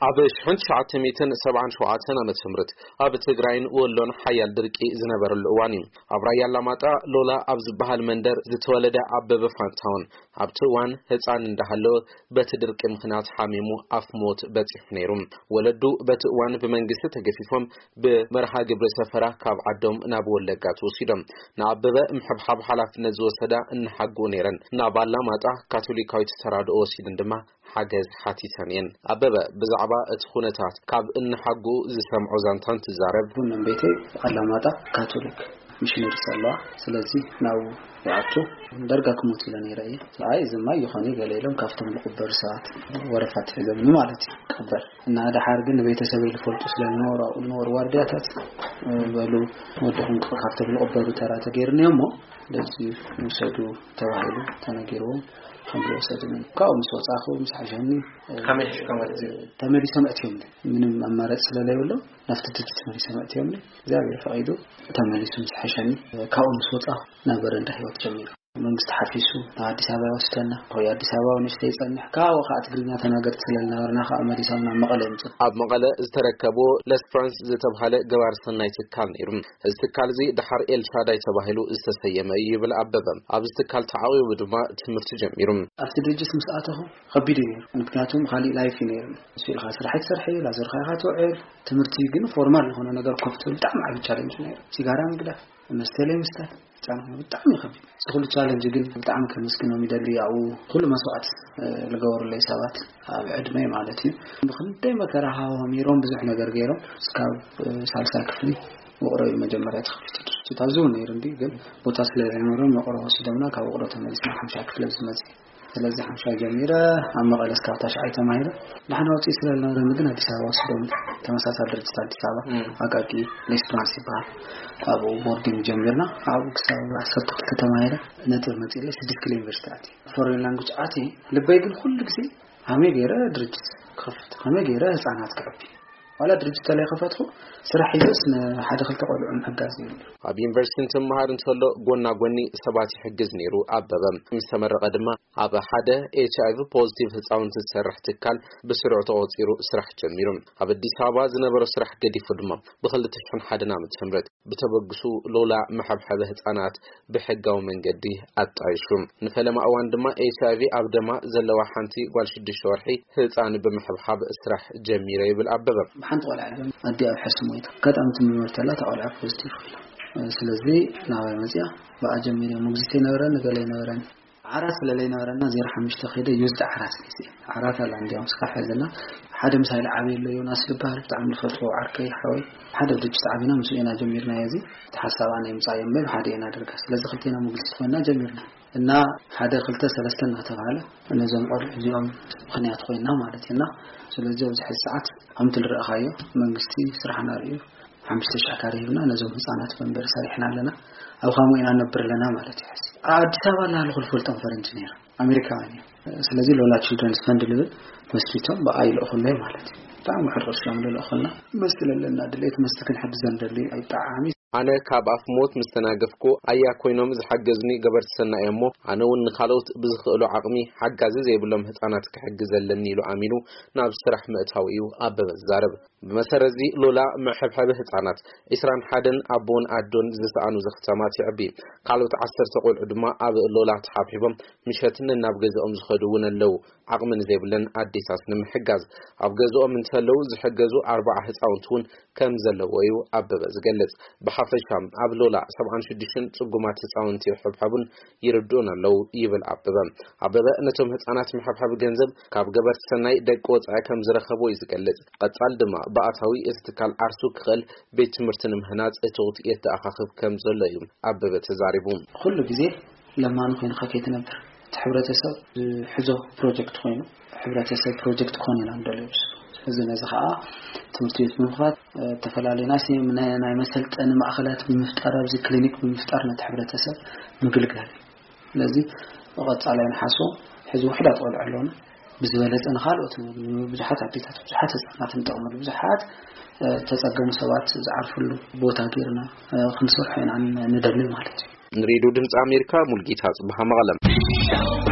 ኣብ ሽሕን ትሽዓተ ሚእትን ሰብዓን ሸውዓተን ዓመተ ምህረት ኣብ ትግራይን ወሎን ሓያል ድርቂ ዝነበረሉ እዋን እዩ። ኣብ ራያ ኣላማጣ ሎላ ኣብ ዝበሃል መንደር ዝተወለደ ኣበበ ፋንታውን ኣብቲ እዋን ህፃን እንዳሃለወ በቲ ድርቂ ምኽንያት ሓሚሙ ኣፍ ሞት በፂሑ ነይሩ። ወለዱ በቲ እዋን ብመንግስቲ ተገፊፎም ብመርሃ ግብሪ ሰፈራ ካብ ዓዶም ናብ ወለጋ ተወሲዶም። ንኣበበ ምሕብሓብ ሓላፍነት ዝወሰዳ እንሓጉኡ ነይረን። ናብ ኣላማጣ ካቶሊካዊት ተራድኦ ወሲድን ድማ ሓገዝ ሓቲተን እየን። ኣበበ ብዛዕባ እቲ ኩነታት ካብ እንሓጉኡ ዝሰምዖ ዛንታ እንትዛረብ፣ ቡን ቤተይ ኣላማጣ ካቶሊክ ሚሽነሪስ ኣለዋ። ስለዚ ናብኡ ይኣቱ። ደርጋ ክሞት ኢለ ነይረ እየ። ኣይ፣ እዚ ማይ ይኾን እዩ ገለ ኢሎም ካብቶም ዝቕበሩ ሰባት ወረፋ ትሒዞምኒ ማለት እዩ። ቅበር እና ደሓር ግን ቤተሰበይ ዝፈልጡ ስለ ዝነበሩ ኣብኡ ዝነበሩ ዋርድያታት፣ እ፣ በሉ ወድኹም ካብቶም ዝቕበሩ ተራ ተገይሩኒ እሞ ስለዚ ውሰዱ ተባሂሉ ተነጊርዎም ከም ዝወሰድኒ ካብኡ ምስ ወፃኹ ምስ ሓሸኒ፣ እ፣ ከመይ ሒዝካ ማለት እዩ? ተመሊሶም ኣእትዮምኒ። ምንም ኣማራፂ ስለዘይብሎም ናብቲ ድርጅት ተመሊሶም ኣእትዮምኒ። እግዚኣብሔር ፈቒዱ ተመሊሱ ምስ ሓሸኒ፣ እ፣ ካብኡ ምስ ወፃኹ ናብ በረንዳ ህይወት ጀሚሩ። መንግስቲ ሓፊሱ ናብ ኣዲስ ኣበባ ይወስደና። ወይ ኣዲስ ኣበባ ንእሽተይ ይጸንሕ። ካብኡ ከዓ ትግርኛ ተናገርቲ ስለ ዝነበርና ከዓ መሊሶም ናብ መቐለ የምጽኡ። ኣብ መቐለ ዝተረከብዎ ለስ ፍራንስ ዝተብሃለ ገባር ሰናይ ትካል ነይሩ። እዚ ትካል እዚ ደሓር ኤልሻዳይ ተባሂሉ ዝተሰየመ እዩ ይብል ኣበበ። ኣብዚ ትካል ተዓቂቡ ድማ ትምህርቲ ጀሚሩ። ኣብቲ ድርጅት ምስ ኣተኹ ከቢድ እዩ ነይሩ። ምክንያቱም ካሊእ ላይፍ እዩ ነይሩ። ንሱ ኢልካ ስራሕ ትሰርሕ፣ ላዘርካ ኢኻ ትውዕል። ትምህርቲ ግን ፎርማል ዝኾነ ነገር ኮፍ ትብል ብጣዕሚ ዓቢ ቻለንጅ ነይሩ። ሲጋራ ምግዳፍ፣ መስተ ለይ ምስታይ፣ ህፃናት ብጣዕሚ ይኸብድ። እዚ ኩሉ ቻለንጅ ግን ብጣዕሚ ከመስግኖም ይደሊ። ያው ኩሉ መስዋዕት፣ እ፣ ዝገበሩለይ ሰባት ኣብ ዕድመይ ማለት እዩ። ብክንደይ መከራ ሃዋሚሮም ብዙሕ ነገር ገይሮም እስካብ፣ እ፣ ሳልሳይ ክፍሊ ውቕሮ እዩ መጀመርያ ተኸፊቱ ድርጅት። ኣብዚ እውን ነይሩ እንዲ ግን ቦታ ስለ ዘይነበሮም ውቕሮ ወሲዶምና ካብ ውቕሮ ተመሊስና ሓምሻይ ክፍሊ ኣብዚ መፅእ። ስለዚ ሓምሻይ ጀሚረ ኣብ መቐለ እስካብ ታሽዓይ ተማሂረ። ደሓን ኣውፅኢ ስለ ዝነበረኒ ግን ኣዲስ ኣበባ ወሲዶም ተመሳሳሊ ድርጅት ኣዲስ ኣበባ እም። ኣቃቂ ሌስፕራንስ ይበሃል። ኣብኡ ቦርዲንግ ጀሚርና። ኣብኡ ክሳብ ዓሰርተ ክልተ ተማሂረ ነጥብ መፂለይ ስድስት ኪሎ ዩኒቨርሲቲ ኣትየ። ፎሬን ላንጉጅ ኣትየ። ልበይ ግን ኩሉ ግዜ ከመይ ገይረ ድርጅት ክኸፍት፣ ከመይ ገይረ ህፃናት ከዕቢ። ዋላ ድርጅት ተለይ ከፈትኩ ስራሕ ሒዘስ ንሓደ ክልተ ቆልዑ ምሕጋዝ ይብል። ኣብ ዩኒቨርሲቲ እንትመሃር እንተሎ ጎና ጎኒ ሰባት ይሕግዝ ነይሩ ኣበበ። ምስ ተመረቐ ድማ ኣብ ሓደ ኤች ኣይ ቪ ፖዚቲቭ ህፃውንቲ ዝሰርሕ ትካል ብስሩዕ ተቖፂሩ ስራሕ ጀሚሩ። ኣብ ኣዲስ ኣበባ ዝነበሮ ስራሕ ገዲፉ ድማ ብክልተ ሽሕን ሓደን ዓመተ ምህረት ብተበግሱ ሎላ መሐብሐቢ ህፃናት ብሕጋዊ መንገዲ ኣጣይሹ። ንፈለማ እዋን ድማ ኤች ኣይ ቪ ኣብ ደማ ዘለዋ ሓንቲ ጓል ሽዱሽተ ወርሒ ህፃን ብምሕብሓብ ስራሕ ጀሚረ ይብል ኣበበ። ብሓንቲ ቆልዓ እዮም ኣዲኣ ኣብ ሕሱ ሞይታ። ኣጋጣሚ ትምርመር ተላ እታ ቆልዓ ፖዚቲቭ ኮይና። ስለዚ ናባይ መፅያ ብኣ ጀሚረ። ሞግዚት ኣይነበረን፣ ገለ ኣይነበረን። ዓራት ስለ ዘይነበረና ዜሮ ሓሙሽተ ከይደ ዩዝድ ዓራት ሒዘ። ዓራት ኣላ እንዲያውም እስካብ ሕዚ ኣላ። ሓደ ምሳይ ዝዓበየ ኣሎ ዮናስ ዝበሃል ብጣዕሚ ዝፈትዎ ዓርከይ ሓወይ። ሓደ ድርጅት ዓቢና ምስኡ ኢና ጀሚርናዮ። እዚ እቲ ሓሳብ ኣነ የምጻዮ እምበር ሓደ ኢና ደርጋ። ስለዚ ክልቴና ሞግዚት ኮይና ጀሚርና። እና ሓደ ክልተ ሰለስተ እናተባሃለ ነዞም ቆልዑ እዚኦም ምኽንያት ኮይና ማለት እዩ። እና ስለዚ ኣብዚ ሕዚ ሰዓት ከምቲ ዝረኣኻዮ መንግስቲ ስራሕና ርእዩ ሓሙሽተ ሽሕ ካሬ ሂብና ነዞም ህፃናት መንበሪ ሰሪሕና ኣለና። ኣብ ኻሞ ኢና ነብር ኣለና ማለት እዩ። ሕዚ ኣብ ኣዲስ ኣበባ እናሃለኹ ዝፈልጦም ፈረንጂ ነይሮም፣ ኣሜሪካውያን እዮም። ስለዚ ሎላ ችልድረንስ ፈንድ ልብል መስሪቶም ብኣ ይልእኹለይ ማለት እዩ። ብጣዕሚ ውሑድ ቅርሺ እዮም ዝልእኹልና። መስቲ ለለና ድሌት መስቲ ክንሕግዞም ንደሊ። ብጣዕሚ ኣነ ካብ ኣፍ ሞት ምስ ተናገፍኩ ኣያ ኮይኖም ዝሓገዙኒ ገበርቲ ሰናይ እሞ ኣነ እውን ንኻልኦት ብዝኽእሎ ዓቕሚ ሓጋዚ ዘይብሎም ህፃናት ክሕግዝ ኣለኒ ኢሉ ኣሚኑ ናብ ስራሕ ምእታው እዩ ኣበበ ዝዛረብ። ብመሰረት እዚ ሎላ መሐብሐቢ ህፃናት ዒስራን ሓደን ኣቦን ኣዶን ዝሰኣኑ ዘኽታማት የዕቢ። ካልኦት ዓሰርተ ቆልዑ ድማ ኣብ ሎላ ተሓብሒቦም ምሸት ነናብ ገዝኦም ዝኸዱ እውን ኣለዉ። ዓቕሚ ንዘይብለን ኣዴታት ንምሕጋዝ ኣብ ገዝኦም እንተለዉ ዝሕገዙ ኣርባዓ ህፃውንቲ እውን ከም ዘለዎ እዩ ኣበበ ዝገልጽ። ብሓፈሻ ኣብ ሎላ ሰብዓን ሽዱሽተን ጽጉማት ህፃውንቲ ይሕብሐቡን ይርድኡን ኣለዉ ይብል ኣበበ። ኣበበ ነቶም ህፃናት መሐብሐቢ ገንዘብ ካብ ገበርቲ ሰናይ ደቂ ወፃኢ ከም ዝረኸቦ እዩ ዝገልጽ። ቀጻል ድማ ብኣታዊ እቲ ትካል ዓርሱ ክኽእል ቤት ትምህርቲ ንምህናጽ እትውት የተኣኻኽብ ከም ዘሎ እዩ ኣበበ ተዛሪቡ። ኩሉ ግዜ ለማኒ ኮይንካ ከይትነብር፣ እቲ ሕብረተሰብ ዝሕዞ ፕሮጀክት ኮይኑ፣ ሕብረተሰብ ፕሮጀክት ክኾን ኢና ንደልዮ። ስለዚ ነዚ ከዓ ትምህርቲ ቤት ብምኽፋት፣ እ፣ ዝተፈላለዩ ናይ ሲ-፣ ናይ፣ ናይ መሰልጠኒ ማእኸላት ብምፍጣር፣ ኣብዚ ክሊኒክ ብምፍጣር ነቲ ሕብረተሰብ ምግልጋል እዩ። ስለዚ ብቐፃላይ ንሓስቦ፣ ሕዚ ውሑዳት ቆልዑ ኣለዉና። ብዝበለፀ ንኻልኦት ብዙሓት ኣዴታት፣ ብዙሓት ህፃናት ንጠቕመሉ፣ ብዙሓት፣ እ፣ ተፀገሙ ሰባት ዝዓርፍሉ ቦታ ገይርና፣ እ፣ ክንሰርሖ ኢና ን-፣ ንደሊ ማለት እዩ። ንሬድዮ ድምፂ ኣሜሪካ ሙልጌታ ጽብሃ መቐለም።